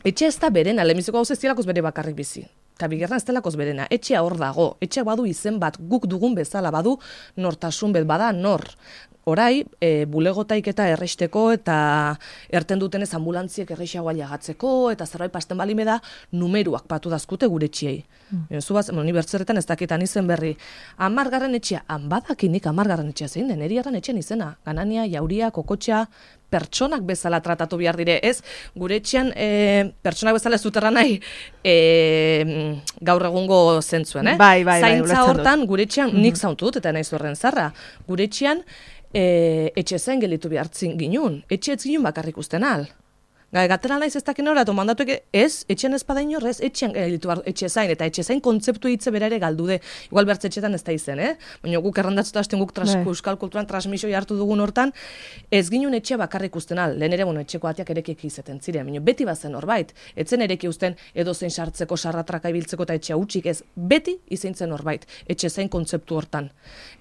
Etxe ez da berena, lehenbiziko hau zestilakoz bere bakarrik bizi. Eta bigarren ez delakoz berena. Etxea hor dago. Etxea badu izen bat, guk dugun bezala badu nortasun bet, bada nor. Orai, bulegotaik eta erresteko eta erten dutenez ambulantziek errexagoa jagatzeko eta zerbait pasten balime da numeruak patu dazkute gure etxiei. Zubaz, ni bertzerretan ez dakitan izen berri. 10. etxea, badakinik 10. etxea zein den, eriarren etxean izena. Ganania, jauria, kokotxa, pertsonak bezala tratatu behar dire, ez? Gure etxean pertsonak bezala ez duterra nahi gaur egungo zentzuen, Bai, zaintza hortan gure etxean nik zauntu dut eta nahi zurren zarra. Gure etxean etxe zain gelitu behartzin ginun. Etxe ez ginun bakarrik usten al. Gatera naiz ez dakin horretu, mandatuek ez, etxean ez bada inorrez, etxean gelitu etxe zain, eta etxe zain kontzeptu hitze bera ere galdu de. Igual bertze etxetan ez da izen, Baina guk errandatzuta hasten guk euskal kulturan transmisio hartu dugun hortan, ez ginun etxea bakarrik usten al, lehen ere etxeko atiak erekik izeten ziren, baina beti bazen horbait, etzen ereki usten edo zein sartzeko, sarratraka ibiltzeko eta etxea utxik ez, beti izintzen horbait, etxe zain kontzeptu hortan.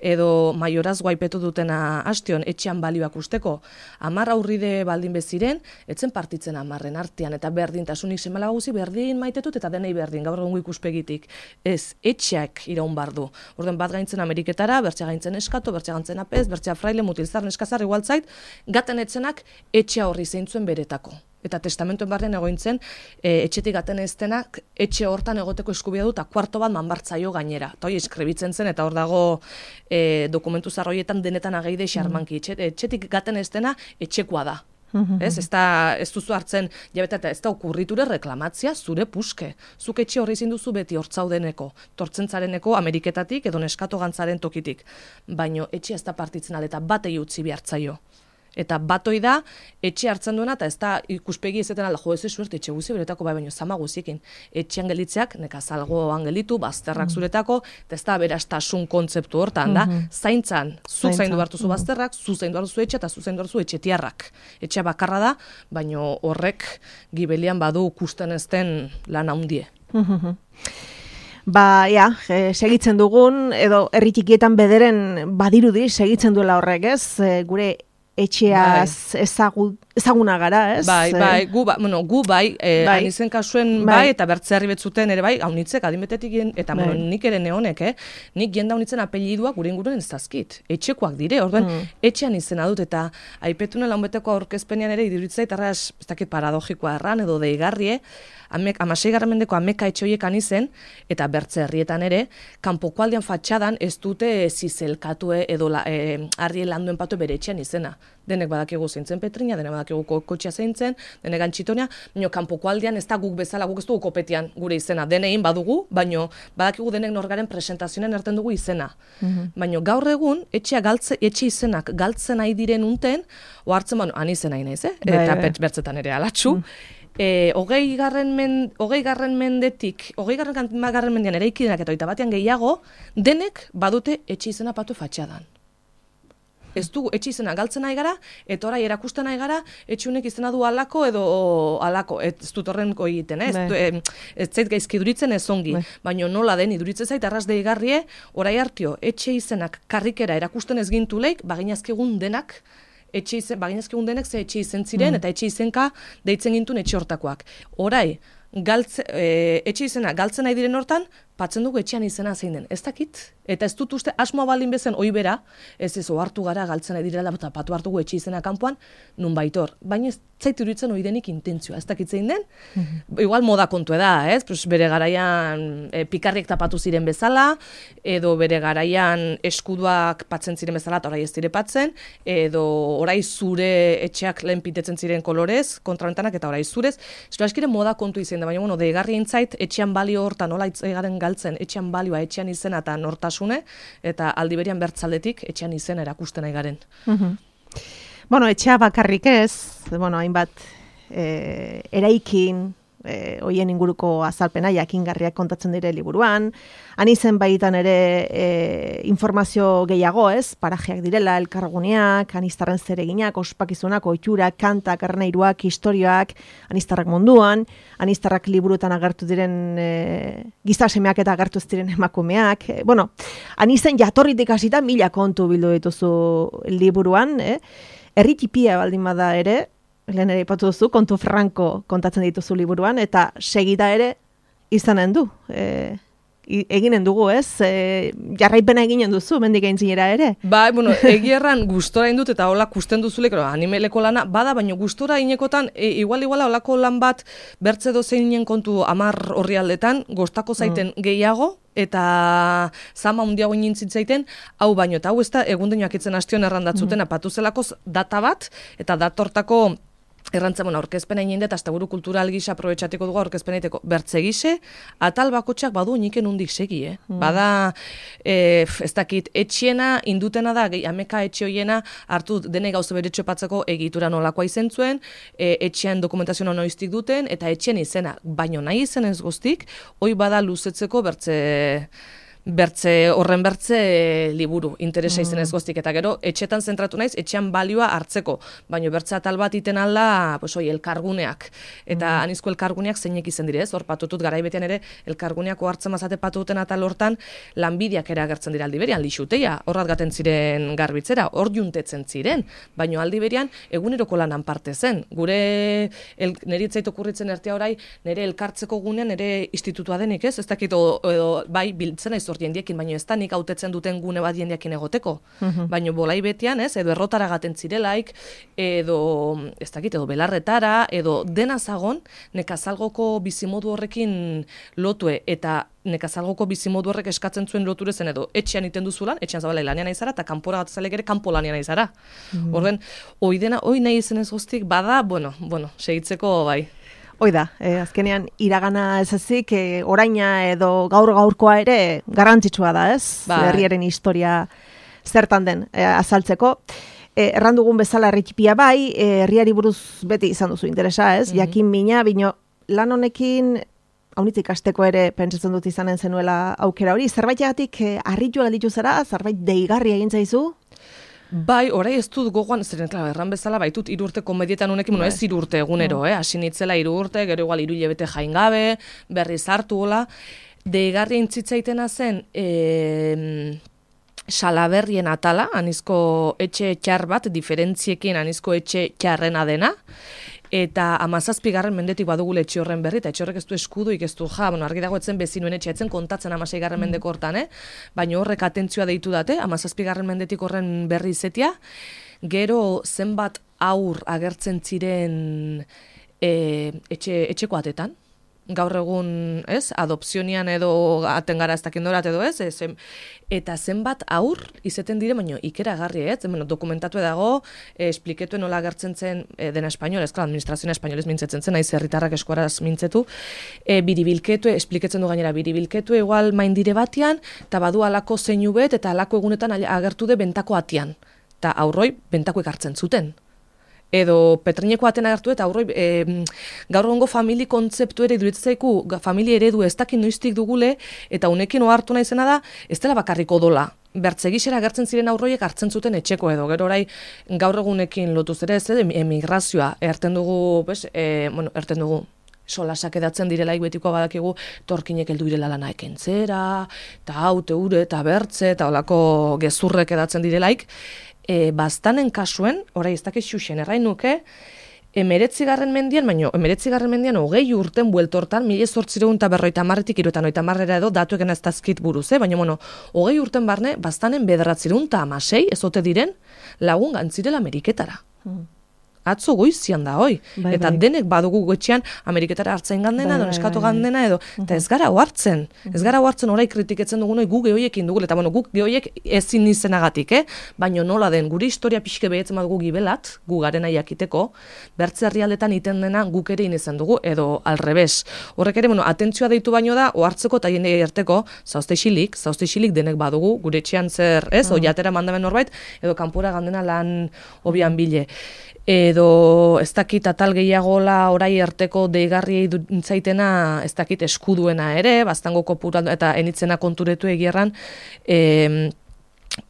Edo maioraz guaipetu dutena hastion etxean balioak usteko, 10 aurride baldin beziren, etzen partitzen 10 artean, eta berdintasunik semala guzi berdin maitetut, eta denei berdin, gaur egungo ikuspegitik. Ez, etxeak iraun bardu. Orden bat gaintzen Ameriketara, bertxea gaintzen eskato, bertxea gaintzen apez, bertxea fraile, mutilzar, neskazar, igualtzait, gaten etzenak etxea horri zeintzuen beretako. Eta testamentuen barren egointzen, etxetik gaten eztenak, etxe hortan egoteko eskubia du, eta kuarto bat manbartzaio gainera. Eta hori eskribitzen zen, eta hor dago dokumentu zarroietan denetan ageide xarmanki. Etxetik gaten eztena, etxekoa da. Ez duzu hartzen, jabeta eta ez da okurriture reklamatzia zure puske. Zuk etxe horri zinduzu beti hortzaudeneko, tortzentzareneko Ameriketatik edo neskato gantzaren tokitik. Baino etxe ez da partitzen eta batei utzi behartzaio. Eta batoi da, etxe hartzen duena, eta ez da ikuspegi ezeten alda, jo, ez suerte, etxe guzi beretako, bai, baino, zama guziekin. Etxe angelitzeak, nekazalgo angelitu, bazterrak zuretako, eta ez da berastasun kontzeptu hortan, da, zaintzan, zuk zaindu hartuzu bazterrak, zu zaindu hartuzu etxe, eta zu zaindu hartuzu etxetiarrak. Etxea bakarra da, baino horrek gibelian badu kusten ezten lan handie. segitzen dugun, edo herri txikietan bederen badirudi segitzen duela horrek, ez? Gure etxeaz ezaguna gara, ez? Gu bai, anizen kasuen bai, eta bertzearri betzuten ere bai, haunitzek, adimetetik eta nik ere neonek, nik jenda haunitzen apelliduak gure inguruen ez dazkit. Etxekoak dire, orduan, etxean izena dut, eta aipetune launbeteko aurkezpenean ere iduritzai, eta ez dakit paradogikoa erran, edo deigarrie, 16. mendeko ameka etxe horiek anizen, eta bertze herrietan ere, kanpoko aldean fatxadan ez dute zizelkatue edo harri landuen patu bere etxean izena. Denek badakigu zeintzen Petrina, denek badakigu kotxea zeintzen, denek Antxitonia, baina kanpoko aldean ez da guk bezala, guk ez dugu kopetian gure izena. Denein badugu, baina badakigu denek norgaren presentazioen erten dugu izena. Baina gaur egun, etxe izenak galtzen nahi diren unten, ohartzen han izen nahi naiz, eta bertzetan ere alatxu. 20. mendean eraikidenak eta 21. gehiago, denek badute etxe izena patu fatxadan. Ez dugu etxe izena galtzen nahi gara, eta orai erakusten nahi gara, etxunek izena du alako edo alako, ez dut horrenko egiten, ez zait gaizki iduritzen ez ongi, baina nola den iduritzen zait, arras deigarrie, orai hartio, etxe izenak karrikera erakusten ez gintuleik, baginazkegun denak, baginazkegun denek ze etxe izen ziren, eta etxe izenka deitzen gintun etxe hortakoak. Orai, etxe izena galtzen nahi diren hortan, patzen dugu etxean izena zein den. Ez dakit, eta ez dut uste asmoa baldin bezen hoi bera, ez ohartu gara galtzen nahi direla, eta patu hartugu etxe izena kanpoan, nun baitor. Baina ez zaitu iruditzen hoi denik intentzioa, ez dakit zein den, igual moda kontu da, ez? Bere garaian pikarriek tapatu ziren bezala, edo bere garaian eskuduak patzen ziren bezala, eta orai ez dire patzen, edo orai zure etxeak lehen pitetzen ziren kolorez, kontraventanak, eta orai zurez. Zura eskire moda kontu izan da, baina deigarri entzait, etxean balio hortan, nola itzegaren galtzen, etxean balioa, etxean izena eta nortasune, eta aldi berian bertzaldetik etxean izena erakusten nahi garen. Etxea bakarrik ez, hainbat eraikin, hoien inguruko azalpena, jakingarriak kontatzen dire liburuan, anizen baitan ere informazio gehiago ez, parajeak direla, elkarguneak, anistarren zereginak, ospakizunak, oiturak, kantak, erneiruak, historioak, anistarrak munduan, anistarrak liburuetan agertu diren gizasemeak eta agertu ez diren emakumeak. Anizen jatorritik hasita 1000 kontu bildu dituzu liburuan, herri tipia baldin bada ere, lehen ere ipatu duzu, kontu franko kontatzen dituzu liburuan, eta segida ere izanen du. Eginen dugu, ez? Jarraipena eginen duzu, mendik aintzinera ere. Egierran gustora indut eta hola kusten duzulek, animeleko lana, bada, baina gustora inekotan, iguala holako lan bat, bertze dozeinen kontu 10 horri aldetan, gostako zaiten gehiago, eta zama hundiago inintzitzen, hau baino, eta hau ez da, egundeinoak itzen hastion errandatzuten, apatu zelakoz data bat, eta datortako errantzen, aurkezpena ininde, eta azta buru kultural gisa aprobetxatiko dugu aurkezpenaiteko bertze gise, atal bakotxak badu niken hundik segi, Bada, ez dakit, etxiena, indutena da, ameka etxe hoiena, hartu dene gauza beretxo patzeko egitura nolakoa izen zuen, etxean dokumentazioa noiztik duten, eta etxean izena, baino nahi izen ez guztik, hoi bada luzetzeko horren bertze liburu, interesa izen ez goztik, eta gero, etxetan zentratu naiz, etxean balioa hartzeko, baina bertze atal bat iten alda, elkarguneak, eta anizko elkarguneak zeinek izen dire, hor patutut garaibetean ere, elkarguneak ohartzen mazate patuten atal hortan, lanbideak ere agertzen dira aldiberian, lixuteia, horrat gaten ziren garbitzera, hor juntetzen ziren, baina aldiberian, eguneroko lanan parte zen, gure, niri itzait okurritzen ertea orai, nire elkartzeko gunean, nire institutua denik, ez dakit, edo bai, biltzen aiz jendiekin, baina ez da nik hautetzen duten gune bat jendiekin egoteko. Baina bolai betian, ez, edo errotara gaten zirelaik, edo, ez dakit, edo belarretara, edo dena zagon, nekazalgoko bizimodu horrekin lotue, eta nekazalgoko bizimodu horrek eskatzen zuen loture zen, edo etxean iten duzulan, etxean zabala lanean aizara, eta kanpora gatzalek ere kanpo lanean aizara. Horren, hoi nahi izen ez guztik, bada, segitzeko bai. Hoi da, azkenean iragana ez ezik, oraina edo gaurkoa ere garrantzitsua da, ez? Herriaren historia zertan den azaltzeko. Errandugun bezala herritipia bai, herriari buruz beti izan duzu interesa, ez? Jakin mina, bino lan honekin, haunitzik ikasteko ere pentsatzen dut izanen zenuela aukera hori, zerbaitegatik harritu gelditu zara, zerbait deigarri egin zaizu? Bai, orai ez dut gogoan, zeren, erran bezala, baitut 3 urte komedietan honekin, ez 3 urte egunero, hasi nitzela 3 urte, gero igual 3 hilabete jaingabe, berriz hartu hola. deigarri intzitzaitena zen Salaberrien atala, anizko etxe txar bat, diferentziekin anizko etxe txarrena dena, eta 17. mendetik badugule etxe horren berri, eta etxe horrek ez du eskuduik, ez du argi dago etzen bezinuen etxe, etzen kontatzen 16. mendeko hortan, baina horrek atentzioa deitu date, 17. mendetik horren berri izetia, gero zenbat aur agertzen ziren etxeko atetan, gaur egun, adopzionian edo aten gara ez dakindorat edo eta zenbat aur izeten dire, baino ikeragarri, dokumentatu dago, espliketuen nola agertzen zen dena espainolez, administrazioa espainolez mintzetzen zen, naiz herritarrak eskuaraz mintzetu, biribilketue, espliketzen du gainera, biribilketue igual maindire batian, eta badu alako zeinu bet, eta alako egunetan agertu de bentako atian, eta aurroi bentako ekartzen zuten. Edo petrineko aten agertu eta aurroi gaur egungo famili kontzeptu ere iduritzaiku, familia eredu ez dakin noiztik dugule, eta unekin ohartu naizena da, ez dela bakarrik odola. Bertzegixera agertzen ziren aurroiek hartzen zuten etxeko edo, gero orai gaur egunekin lotuz ere, emigrazioa, erten dugu, solasak edatzen direlaik betikoa badakigu, torkinek heldu direla lana ekentzera, eta haute ure, eta bertze, eta olako gezurrek edatzen direlaik, bastanen kasuen, orai ez dakiz xuxen, errain nuke, 19. mendian, baino, 19. mendian 20 urten bueltortan, 1850-tik 1950 edo datueken ez dazkit buruz, baina, 20 urten barne, bastanen 916, ezote diren, lagun gantzirela Ameriketara. Atzo goizian da, hoi. Eta denek badugu goetxean Ameriketara hartzen gandena, eskatu gandena edo, eta ez gara ohartzen. Ez gara ohartzen orai kritiketzen dugun, gu gehoiekin dugule, eta guk gehoiek ezin izenagatik, baina nola den, gure historia pixke behetzen badugu gibelat, gu garena jakiteko, bertze herrialdetan iten dena guk ere inezen dugu, edo alrebes. Horrek ere, atentzioa deitu baino da, ohartzeko eta jende erteko, zauzte isilik denek badugu, gure etxean zer, jatera mandamen norbait, edo kanpora gandena lan obian bile. Edo ez dakit atal gehiagola orai arteko deigarriei dintzaitena ez dakit eskuduena ere, bastango kopura eta enitzena konturetu egierran,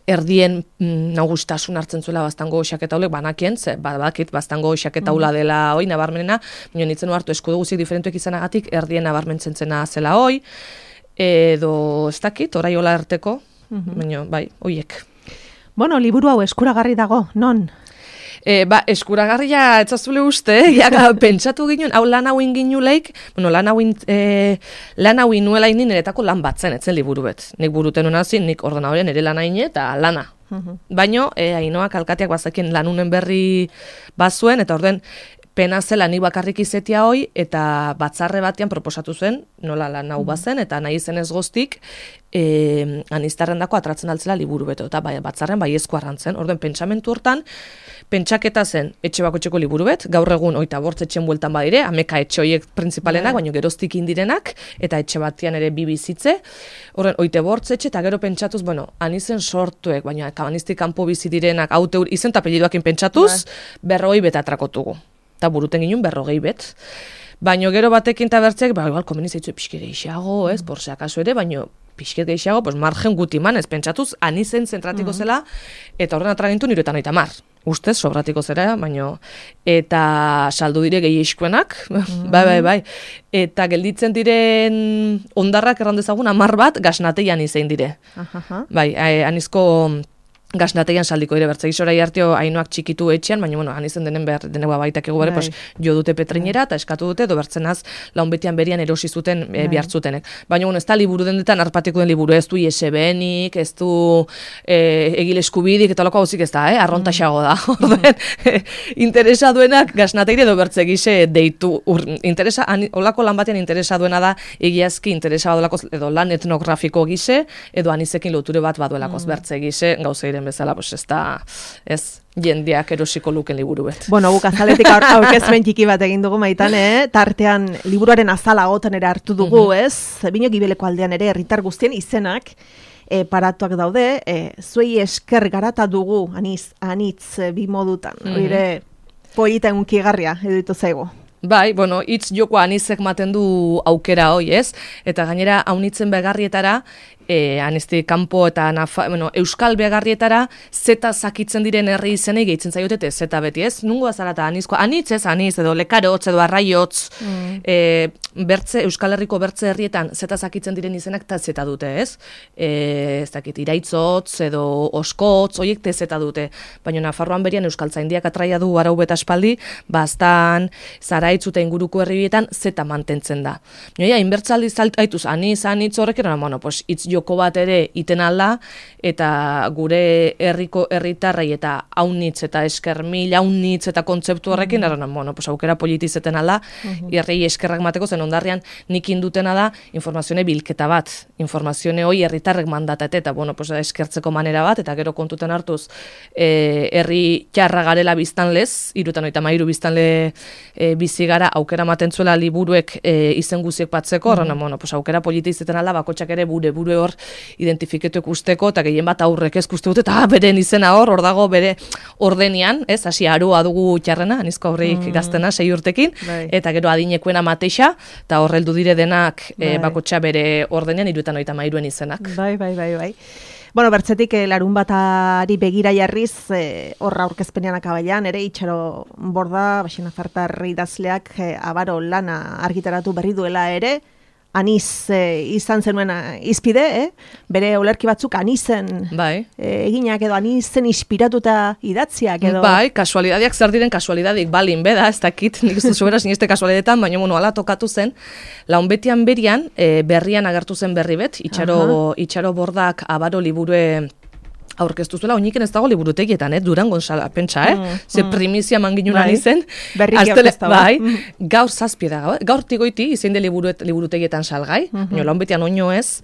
erdien nagustasun hartzen zuela bastango xaketaulek banakien, badakit bastango xaketaula dela hoi nabarmenena, baina nitzen hartu eskudu guzik diferentuek izanagatik erdien nabarmentzen zena zela hoi, edo ez dakit, orai hola arteko, baina bai, hoiek. Bueno, liburu hau eskuragarri dago, non? Eskuragarria etzazule uste, pentsatu ginen, hau lan hauin ginuleik, lan hauin nuela inin eretako lan batzen, etzen liburu bet. Nik buruten unazin, nik ordenadorien ere lan haine eta lana. Baino, Ainoak alkateak bazakien lanunen berri bazuen, eta orden pena zela ni bakarrik izetia hoi, eta batzarre batean proposatu zen, nola lan hau bazen, eta nahi zen ez goztik, aniztarrendako atratzen altzela liburu beto, eta batzarren baiezko arrantzen. Orden, pentsamentu hortan, pentsaketa zen etxe bakotxeko liburu bet, gaur egun 25 etxen bueltan badire, ameka etxe horiek printzipalenak, baina geroztik indirenak, eta etxe batian ere bizitze. Horren, 25 etxe, eta gero pentsatuz, anizen sortuek, baina aniztik kanpo bizi direnak, haute izen eta apellidoakin pentsatuz, 40 bet atrakotugu. Eta buruten ginen 40 bet. Baina gero batekin eta bertzeak, igual komeni zaitzu pixket gehiago, por se akaso ere, baina pixket gehiago, margen gutiman, ez pentsatuz, anizen zentratiko zela, eta horren atragintu niretan 30. Ustez, sobratiko zera, baina, eta saldu dire gehieskuenak, bai, eta gelditzen diren ondarrak errandezagun 10 bat gasnateian izein dire. Bai, anizko gasnateian saldiko dire bertzegi zorai arteo Ainoak txikitu etxean, baina, anizen denen behar, denegua baitak egu bare, jo dute petrinera, eta eskatu dute, edo bertzenaz, launbetian berian erosi zuten bihartzutenek. Baina, ez da liburu dendetan, arpatiko den liburu, ez du ISBNik, ez du egile eskubidik, eta loko hauzik ez da, arrontaxago da. Interesa duenak gasnateire edo bertzegixe deitu, olako lan batean interesa duena da, egiazki interesa badolako, edo lan etnografiko gise, edo anizekin loture bat baduelakoz bertzegixe, gauzeire bezala, ez da, jendeak erosiko luken liburu bet. Bueno, guk azaletik aurkezpen txiki bat egin dugu Maitan, tartean liburuaren azala goten ere hartu dugu, Bino Gibeleko aldean ere herritar guztien izenak paratuak daude, zuei esker garata dugu, anitz bi modutan, oire polita unkigarria editu zaigu. Bai, hitz joko anizek maten du aukera hoi, Eta gainera, haunitzen begarrietara, anistik kanpo eta euskal begarrietara zeta zakitzen diren herri izenei gehitzen zaiote zeta beti, ez? Nungo azara eta anitz edo lekarotz edo arraiotz, bertze, Euskal Herriko bertze herrietan zeta zakitzen diren izenak eta zeta dute, ez? Ez dakit, iraitzotz edo oskotz, oiek zeta dute. Baina Nafarroan berian Euskaltzaindiak atraia du arau beta espaldi, bastan, zaraitz eta inguruko herrietan zeta mantentzen da. Noia, inbertzaldi aituz, anitz horrek pues, itz joko bat ere iten alda, eta gure herriko herritarrei eta aunitz eta eskermil, aunitz eta kontzeptu horrekin, pues, aukera politizeten alda, herrei eskerrak mateko, zen ondarrian nik indutena da informazione bilketa bat, informazione hoi herritarrek mandatate, eta pues, eskertzeko manera bat, eta gero kontuten hartuz herri txarra garela biztanlez, 73 biztanle bizi gara, aukera maten zuela liburuek izen guziek batzeko, pues, aukera politizeten alda, bakotxak ere bure hor identifiketuek usteko, eta gehien bat aurrek ez uste dute, eta beren izena hor dago bere ordenian, ez, hasi aroa dugu txarrena, anizko aurreik gaztena 6 urtekin, eta gero adinekoena mateixa, eta horreldu dire denak bakotxa bere ordenean 73 izenak. Bai. Bueno, bertzetik larun batari begira jarriz, horra aurkezpenean akabaian, ere Itxaro Borda, Baxina Fartar idazleak abaro lana argitaratu berri duela ere, aniz izan zenuen izpide, bere olerki batzuk anizen eginak edo anizen inspiratuta idatziak edo. Bai, kasualidadiak zer diren kasualidadik balin beda, ez dakit, nik ez duzu beraz nizte kasualidetan, baina ala tokatu zen, launbetian berian, berrian agertu zen berri bet, Itxaro Bordak abaro liburue aurkeztu zuela, oiniken ez dago liburutegietan, Durangon pentsa, ze primizia manginunan izen. Berriki aurkezta, bai. Gaur zazpie da, gaur tigoiti izen de liburutegietan salgai, launbetian oino ez.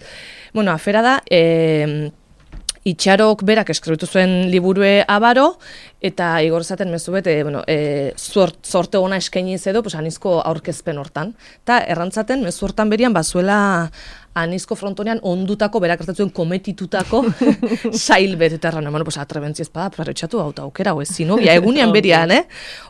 Bueno, afera da, Itxarok berak eskribitu zuen liburue abaro, eta igor zaten mezu bete, sorte ona eskainiz edo, pues, anizko aurkezpen hortan. Eta errantzaten, mezu hortan berian, bazuela anizko frontonean ondutako, berak hartatzen kometitutako sail bet, eta erran, pues, atrebentzi ezpada, prarretxatu hau aukera, ez zinobia, egunean berian,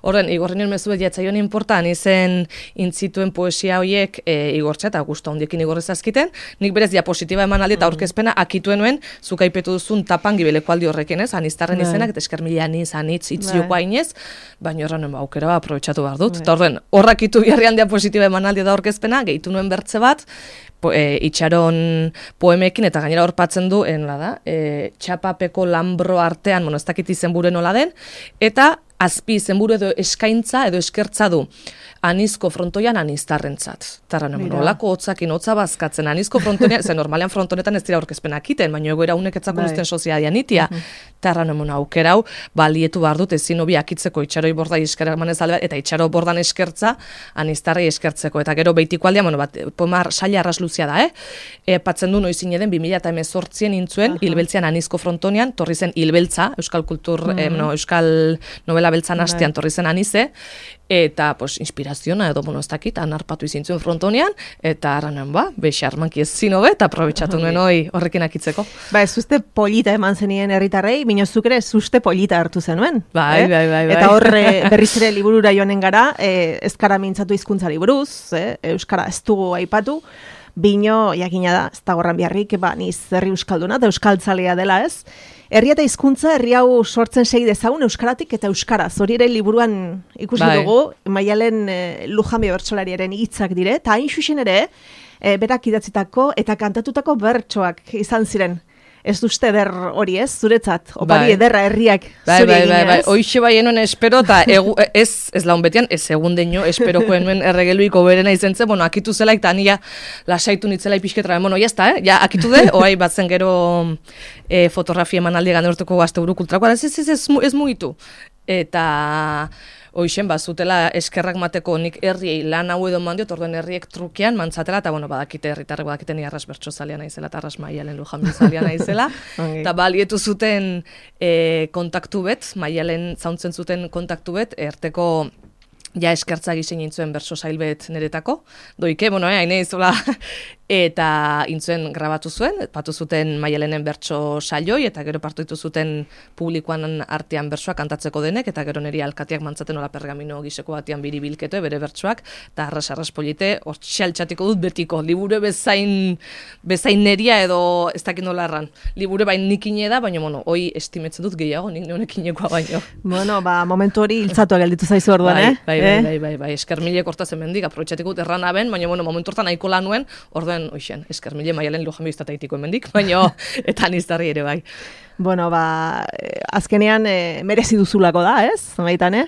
Horren, igorren mezu bet jatzaion inporta, anizen intzituen poesia horiek igortza, eta gusta hondiekin igorrez azkiten, nik berez diapositiba eman aldi eta aurkezpena akituen nuen, zukaipetu duzun tapan gibeleko aldi horrekin, aniztarren izenak, eta eskermila anitz, itzioko hainez, baina horren aukera aprobetxatu behar dut. Eta horren, horrakitu biharrian diapositiba eman aldi da aurkezpena, gehitu nuen bertze bat, Itxaron poemekin, eta gainera horpatzen du, txapapeko lambro artean, ez dakit izenburu nola den, eta azpi izenburu edo eskaintza edo eskertza du. Anizko frontoian aniztarrentzat. Tarran, olako hotzakin, hotza bazkatzen, anizko frontoian, zen normalean frontonetan ez dira aurkezpenak iten, baina egoera unek etzako duzten soziadian itia. Tarran, aukera hau, balietu behar dut, ezin hobi akitzeko Itxaroi Borda eskerrak manez alde, eta Itxaro Bordan eskertza, aniztarrei eskertzeko. Eta gero behitiko aldean, pomar saila arrasluzia da, patzen du noizin eden, 2018 intzuen, hilbeltzean anizko frontonean, torri zen hilbeltza, euskal kultur, euskal novela beltzan hastean torri zen anize, eta, inspiraziona edo, ez dakit, anarpatu izintzuen frontonean, eta aranen, bexarmanki ez zinobe, eta aprobetsatu nuen horrekin akitzeko. Ez uste polita eman zenien herritarrei, minozuk ere ez uste polita hartu zenuen. Bai. Eta horre berriz ere liburura joanen gara, ezkara mintzatu hizkuntzari buruz, euskara ez dugu aipatu, bino, jakina da, ez da gorran biharrik, niz herri euskalduna, eta euskaltzalea dela ez. Herri eta hizkuntza herri hau sortzen segi dezagun euskaratik eta euskaraz. Hori ere liburuan ikusi dugu, Maialen Lujambio bertsolariaren hitzak dire, eta hain xuxen ere, berak idatzitako eta kantatutako bertsoak izan ziren. Ez duzte eder hori ez, zuretzat, opari ederra herriak zuri egin ez. Hoixe bai enuen espero, eta ez laun betian, ez egun deino, esperoko enuen erregeluiko berena izentzen, akitu zela, eta ania lasaitu nitzela ipisketra, jazta, ja, akitu de, oai batzen gero fotografia emanaldi ganertuko gazte buru kultrakoa, ez mugitu. Eta hoixen, zutela eskerrak mateko nik herriei lan hau edo mandiot, orden herriek trukean mantzatela, eta badakite herritarrek badakite ni arras bertso zalia naizela, eta arras Maialen Lujambio zalia naizela, eta balietu zuten kontaktu bet, Maialen zauntzen zuten kontaktu bet, erteko ja eskertza gizen nintzuen berso zailbet neretako. Doike, haine izola eta intzuen grabatu zuen, patu zuten Maialenen bertso saioi, eta gero partu ditu zuten publikoan artean bertsoa kantatzeko denek, eta gero niri alkateak mantzaten hola pergamino giseko batean biribilketo, bere bertsoak, eta arras polite, hor txaltxatiko dut betiko, liburu bezain neria edo ez dakit nola erran. Liburu bain nikine da, baina, hoi estimetzen dut gehiago, nik neonekinekoa baino. Momentu hori hiltzatu gelditu zaizu orduan, Bai, eskermilek hortazen mendik, aprobetxatiko dut erran aben, baina, momentu hortan nahiko lan nuen, orduen, eskermile Maialen Lujambio iztateitiko emendik, baina, eta niztarri ere bai. Azkenean merezi duzulako da, ez? Maitan,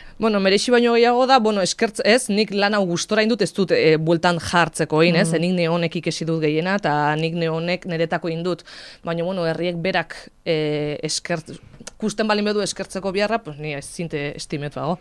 merezi baino gehiago da, eskertz ez, nik lan hau gustora indut ez dut bueltan jartzeko egin, ez? Nik neonek ikesi dut gehiena, eta nik neonek niretako indut. Baina, herriek berak kusten balin bedu eskertzeko biharra, ni ez zinte estimetu hago.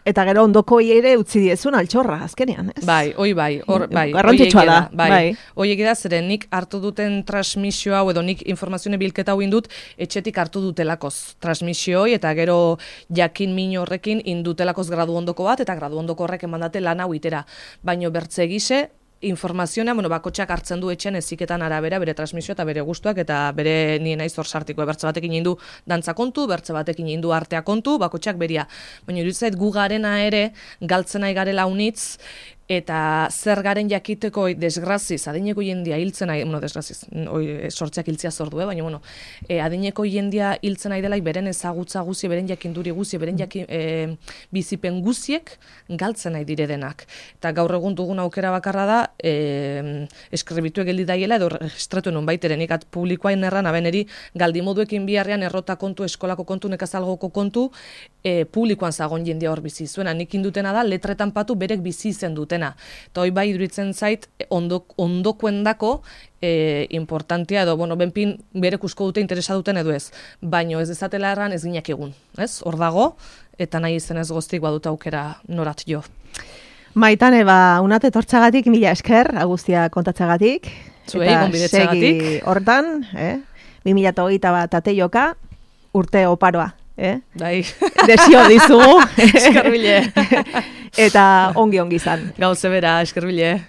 Eta gero ondoko ere utzi diezun altxorra, azkenean, ez? Bai. Garrantzitsua da. Bai. Oiek da, zeren nik hartu duten transmisio hau, edo nik informazioen bilketa hau indut, etxetik hartu dutelakoz transmisioi, eta gero jakin min horrekin indutelakoz gradu ondoko bat, eta gradu ondoko horrek emandate lan hau itera. Baino bertze gise, informazioa, bakotxak hartzen du etxen eziketan arabera, bere transmisio eta bere gustuak, eta bere nien naiz hor sartiko, bertze batekin indu dantza kontu, bertze batekin indu artea kontu, bakotxak beria. Baina iruditzait gu garena ere, galtzen nahi garela unitz, eta zer garen jakiteko desgraziz, adineko jendia hiltzen nahi, desgraziz, sortzeak hiltzea zordu, baina, adineko jendia hiltzen nahi delaik beren ezagutza guzi, beren jakinduri guzi, beren bizipen guziek galtzen nahi dire denak. Eta gaur egun dugun aukera bakarra da, eskribitu geldi daiela, edo registratu non baiteren, ikat publikoain erran, abeneri galdimoduekin biharrean errota kontu, eskolako kontu, nekazalgoko kontu, publikoan zagon jendia hor bizi zuena. Nik indutena da, letretan patu berek bizi izen dutena. Eta hoi bai iduritzen zait, ondokuendako importantia edo, benpin berek usko dute interesa duten edo ez. Baino ez dezatela erran ez ginak egun. Hor dago, eta nahi izenez goztik badut aukera norat jo. Maitane, unat etortzagatik, mila esker, agustia kontatzagatik. Zuei, gonbidetzagatik. Segi hortan, 2021 ateioka, urte oparoa. Bai. Desio dizugu. Eskerbile. Eta ongi izan. Gauze bera, eskerbile.